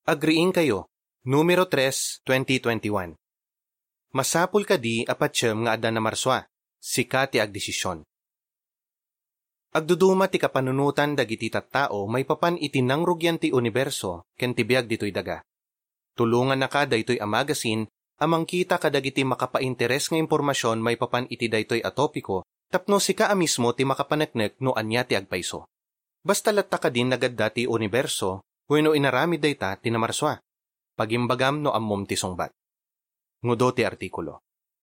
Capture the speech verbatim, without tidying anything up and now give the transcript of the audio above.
Agriingkayo, numero tres, twenty twenty-one. Masapul kadi a patiem nga adda namarsua, sika ti agdesision. Agduduma ti kapanunotan dagiti tattao maipapan iti nangrugian ti uniberso ken ti biag ditoy daga. Tulongannaka daytoy a magazine a mangkita kadagiti makapainteres nga impormasion maipapan iti daytoy a topiko tapno sika a mismo ti makapaneknek no ania ti agpayso. Basta latta kadin nagadda ti uniberso wenno inaramid dayta ti namarsua. Pagimbagam no ammom ti sungbat. Ngudo ti artikulo.